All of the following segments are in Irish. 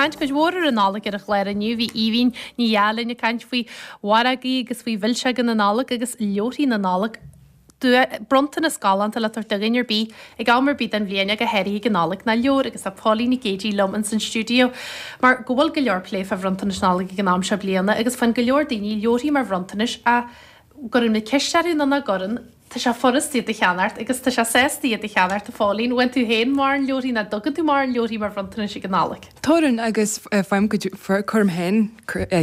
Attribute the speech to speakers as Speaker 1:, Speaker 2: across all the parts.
Speaker 1: caint cuid mhór ar an Nollaig ar an chlár inniu. Bhí Aoibhín Ní Dheá linn ag caint faoi mhargaí agus faoi mhilseoga na Nollag agus leabharthaí na Nollag. Bronntanas galánta le tabhairt do dhuine ar bith ag am ar bith den bhliain ach go háirithe ag an Nollaig ná leabhar agus tá Póilín Nic Géidigh liom ins an stiúideo mar go bhfuil go leor plé fá bhronntanais Nollag ag an am seo bliana agus faigheann go leor daoine leabharthaí mar bhronntanais ach gcuireann muid ceist orthu nó nach gcuireann, tá sé furast iad a cheannacht agus tá sé sásta iad a cheannacht, a Phóilín. Bhfaigheann tú féin mórán leabharthaí nó dtugann tú mórán leabharthaí mar bhronntanais ag an Nollaig?
Speaker 2: Tugann agus faighim cuid, cuirim féin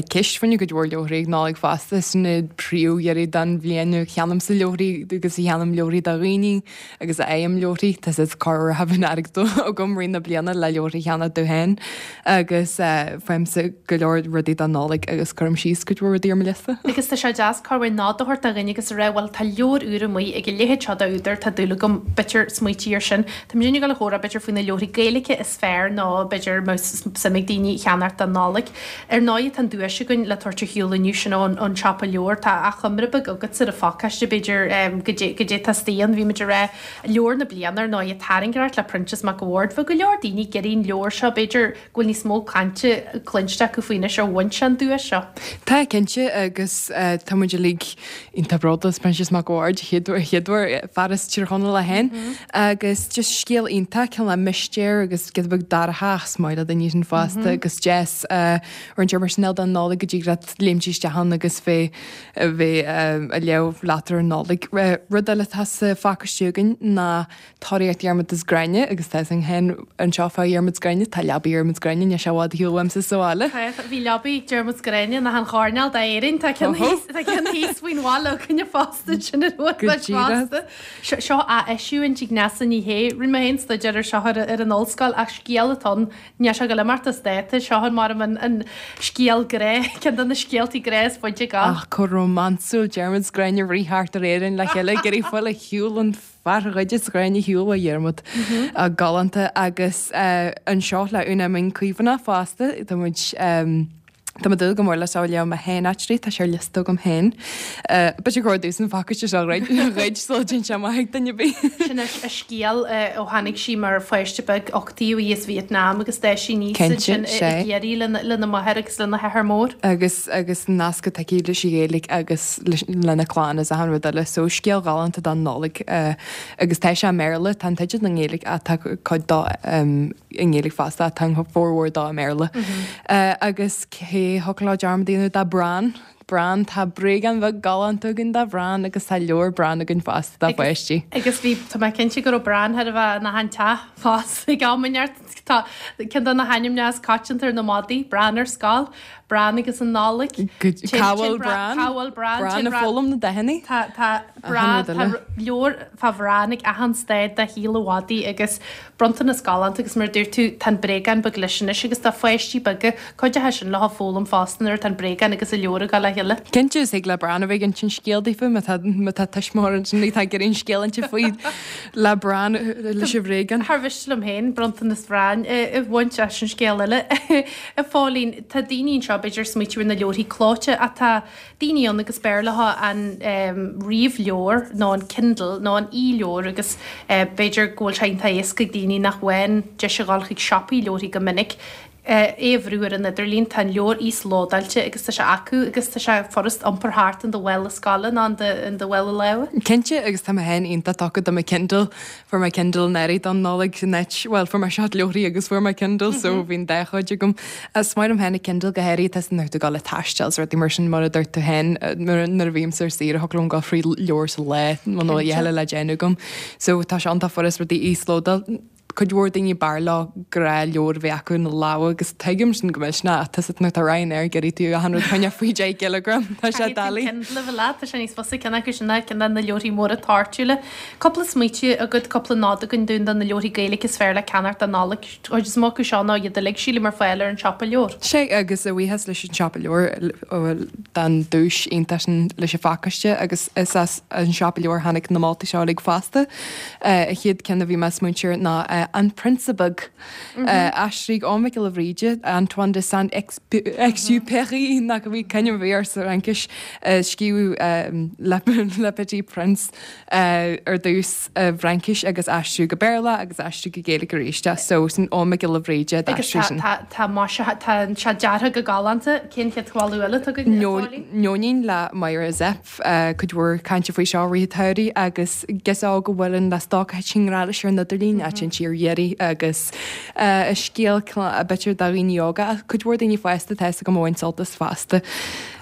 Speaker 2: ceist fá choinne cuid mhór leabharthaí ag Nollaig fosta, sin an príomhdheireadh den bhliain a cheannaímse leabharthaí agus a cheannaím leabharthaí do dhaoine agus a fhaighim leabharthaí, tá siad corruair a bhíonn airgead agam rith na bliana le leabharthaí a cheannach domh féin agus faighimse go leor rudaí don Nollaig agus cuirim síos cuid mhór rudaí ar mo liosta.
Speaker 1: Agus tá sé deas corruair nod a thabhairt do dhuine agus a rá bhuel tá leabhar úr amuigh ag a leithéid seo d'údar, tá dúil agam b'fhéidir smaoitiú air sin. Tá muid ag dul a chomhrá b'fhéidir faoi na leabharthaí Gaeilge is fearr nó b'fhéidir más suim ag daoine a cheannacht don Nollaig. Ar ndóigh tá an duais againn le tabhairt ar shiúl inniu sin ón ón Siopa Leabhar. Tá achoimre beag agatsa ar an phacáiste b'fhéidir goidé goidé atá istigh ann. Bhí muid ag rá leabhar na bliana ar ndóigh Tairngreacht le Proinsias Mac a' Bhaird. Bheadh go leor daoine ag iarraidh an leabhar seo b'fhéidir go bhfuil níos mó cainte cluinste acu faoi anois ó bhain sé an duais seo.
Speaker 2: Tá, cinnte, agus tá muid uilig iontach bródúil as Proinsias Mac a' Bhaird, chéad uair, fear as Tír Chonaill é féin, agus just scéal iontach, cineál mistéir agus giota beag dorcha ach is maith le daoine sin fosta agus deas roinnt ar mar sin don Nollaig go dtig leat léimt isteach ann agus bheith bheith ag léamh leat ar an Nollaig. Rud eile atá sa phacáiste againn ná Tóraíocht Dhiarmuid is Gráinne agus tá fhios againn féin anseo fá Dhiarmuid is Gráinne, tá leabaidh Dhiarmuid is Gráinne, níl sé i bhfad ar shiúl uaimse sa bhaile.
Speaker 1: Tá, bhí leabaidh Diarmuid is Gráinne in achan choirnéal d'Éirinn, tá ceann thíos, tá ceann thíos faoin bhaile againne fosta, sin ar uair leis fosta. Seo ath-eisiúint ag Neasa Ní Shé, rinne mé féin staidéar ar seo ar an ollscoil ach scéal atá ann, Níl sé ag dul imeacht as dáta, seo an mar an scéal grá, ceann de na scéaltaí grá is faide go.
Speaker 2: Ach chomh rómánsúil, Diarmuid 's Gráinne ag rith thart ar Éirinn le chéile ag iarraidh fáil ar shiúl an fear a ghoideas Gráinne ar shiúl ó Dhiarmuid. Galánta agus anseo le Úna Mín Caomhánach fosta, tá muid Tá mé ag dúil go mór leis seo a léamh mé féin actually, tá sé ar liosta agam féin. B'fhéidir gur domhsa an phacáiste seo a ghoid sula dtéann sé amach ag duine ar bith.
Speaker 1: Sin a scéal ó tháinig sí mar pháiste beag, uchtaíodh í as Vietnam agus d'fhás sí aníos ansin i gCiarraí lena máthair agus lena hathair mór.
Speaker 2: Agus agus an nasc atá aici leis an Ghaeilge agus lena clann is achan rud eile. So scéal ghalánta don Nollaig agus tá sé i mBéarla, tá an teideal i nGaeilge ach tá cuid dó i nGaeilge fosta, tá an formhór dó i mBéarla. Agus cé thiocfadh leo dearmad a dhéanamh de Bran? Bran, tá bréagán bheag galánta againn de Bhran agus tá leabhar Bran againn fosta do pháistí.
Speaker 1: Agus bhí, tá mé cinnte go raibh Bran thar a bheith in achan teach fosta ag am inteacht. Tá ceann de na hainmneacha is coitianta ar na madaí, Bran ar scoil, Bran agus an Nollaig.
Speaker 2: Cá bhfuil Bran?
Speaker 1: Cá bhfuil Bran?
Speaker 2: Bran ag foghlaim na dathanna.
Speaker 1: Tá, tá Bran, tá leabhar fá Bhran ag achan staid de shaol an mhadaidh agus Bronntanas galánta agus mar a dúirt tú, tá an bréagán beag leis anois agus tá pháistí beaga, cuid acu sin le foghlaim fosta nuair atá an bréagán agus an leabhar ag dul le chéile.
Speaker 2: Cinnte, is thig le Bran a bheith ag insint scéal daofa má tá má tá tuismitheoir ansin atá ag iarraidh an scéal a inse faoi le Bran leis an bhréagán.
Speaker 1: Char mhiste liom féin bronntanas Bhrain a bhaint as sin scéal eile. A Phóilín, tá daoine anseo b'fhéidir ag smaoitiú ar na leabharthaí clóite ach tá daoine ann agus b'fhearr leo an ríomhleabhar nó an Kindle nó an e-leabhar agus b'fhéidir go bhfuil sé iontach éasca ag daoine nach bhfaigheann deis a dhul chuig siopaí leabharthaí go minic é a bhrú ar an idirlíon. Tá an leabhar íoslódáilte agus tá sé acu agus tá sé furast iompar thart in do mhála scoile nó in do mhála láimhe.
Speaker 2: Cinnte agus tá mé féin iontach tugtha do mo Kindle. Fuair mé Kindle anuraidh don Nollaig san áit, bhuel, fuair mé seat leabharthaí agus fuair mé Kindle so bhí an dá chuid agam. Is maith liom féin an Kindle go háirithe tá nuair atá tú ag dul ag taisteal is rudaí mar sin mar a dúirt tú féin nuair a bhímse ar saoire thiocfadh liom dul thrí leabhar sa lá muna bhfuil a dhath eile le déanamh agam. So tá sé iontach furast rudaí a íoslódáil. Cuid mhór daoine b'fhearr leo gnáthleabhar a bheith acu ina lámha agus tuigim sin go millteanach ach tá sé nuair atá Ryanair ag iarraidh tú achan rud a choinneáil faoi 10 gcileagram tá sé
Speaker 1: Caithfidh tú
Speaker 2: doiligh.
Speaker 1: Kindle a bheith leat, tá sé níos fusa ceann acu sin ná ceann de na leabharthaí móra toirtiúla. Cúpla smaoitiú agat, cúpla nod againn dúinn do na leabharthaí Gaeilge is fearr le ceannacht don Nollaig. Cuid is mó acu seo ná iad uilig, sílim, ar fáil ar an Siopa Leabhar.
Speaker 2: Sea, agus a bhuíochas leis an Siopa Leabhar don duais iontach sin leis an phacáiste agus is as an Siopa Leabhar a tháinig na moltaí seo uilig fosta. An chéad ceann a bhí mé ag smaointiú air ná. An Prionsa Beag. Aistrithe ag Eoghan Mac Giolla Bhríde, Antoine de Saint-Exupéry, nach bhí coinne bhí air sa Fhraincis, scríobhadh Le Petit Prince ar dtús i bhFraincis agus aistriú go Béarla agus aistriú go Gaeilge arís é. So sin Eoghan Mac Giolla Bhríde a
Speaker 1: d'aistrigh sin. Agus tá maise, tá sé deartha go galánta. Cén chéad mholadh eile atá againn, a Phóilín?
Speaker 2: Nóinín le Myra Zepf. Cuid mhór cainte faoi seo i rith an tsamhraidh agus girseach óg a bhfuileann le stoc a thiteann i ngrá leis ar an idirlíon, a théann sí ar iarraidh agus is scéal b'fhéidir do dhaoine óga ach cuid mhór daoine fásta tá fhios agam a bhain sult as fosta.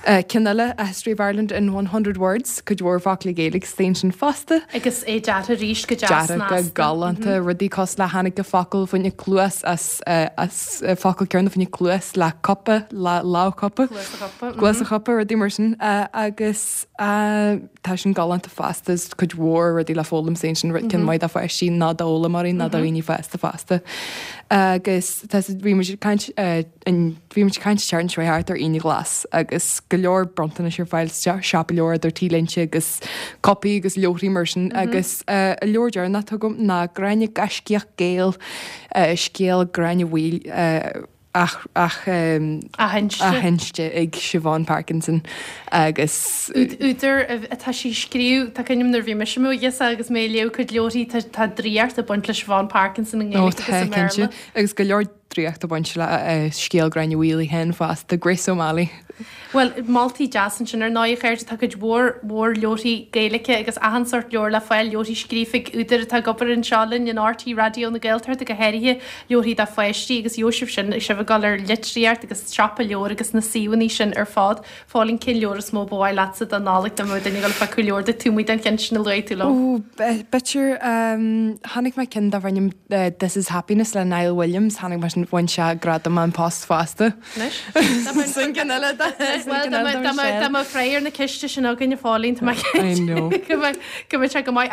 Speaker 2: Ceann eile, A History of Ireland in 100 Words, cuid mhór foclaí Gaeilge istigh ansin fosta.
Speaker 1: Agus é deartha arís go deas
Speaker 2: snasta. Deartha go galánta, rudaí cosúil le tháinig an focal fá choinne cluas as as focal céanna fá choinne cluas le cupa, le lámh cupa.
Speaker 1: Cluas a chupa.
Speaker 2: Cluas a chupa, rudaí mar sin. Agus tá sin galánta fosta, is cuid mhór rudaí le foghlaim sa sin, ceann maith do pháistí nó d'fhoghlaimeoirí nó do dhaoine fásta fosta. Agus tá bhí muid ag caint bhí muid ag caint an tseachtain seo thart ar Aoine Ghlas agus go leor bronntanais ar fáil sa siopa leabhar idir t-léinte agus cupaí agus leabharthaí mar sin agus an leabhar deireanach atá agam ná Gráinne Gaiscíoch Gael scéal Gráinne Mhaol athinste ag Siobhán Parkinson agus.
Speaker 1: Údar atá sí ag scríobh, tá cuimhne agam nuair a bhí mise i mo ghirseach agus mé ag léamh cuid leabharthaí, tá draíocht ag baint le Siobhán Parkinson i
Speaker 2: nGaeilge agus i mBéarla. Ó tá, cinnte. Agus go leor draíocht ag baint le scéal Gráinne Mhaol í féin fosta, Grace O'Malley.
Speaker 1: Bhuel, moltaí deas ansin ar ndóigh, a chairde. Tá cuid mhór mhór leabharthaí Gaeilge agus achan sórt leabhar le fáil, leabharthaí scríofa ag údair atá ag obair anseo linn in RTÉ Raidió na Gaeltachta, go háirithe leabharthaí do pháistí agus gheobhaidh sibh sin, sibh ag dul ar litríocht agus siopa leabhar agus na suíomhanna sin ar fad. Phóilín, cén leabhar is mó ba mhaith leatsa don Nollaig dá mbeadh duine ag dul ag piocadh leabhar duit taobh amuigh den cheann sin a luaigh tú
Speaker 2: liom? Ó, b'fhéidir, chonaic mé ceann darb ainm This is Happiness le Niall Williams, chonaic mé sin, bhain sé gradam An Post fosta.
Speaker 1: Anois, Sin ceann eile dá mbeadh freagra ar na ceiste sin againn a Phóilín, tá mé cinnte go mbeadh sé go maith.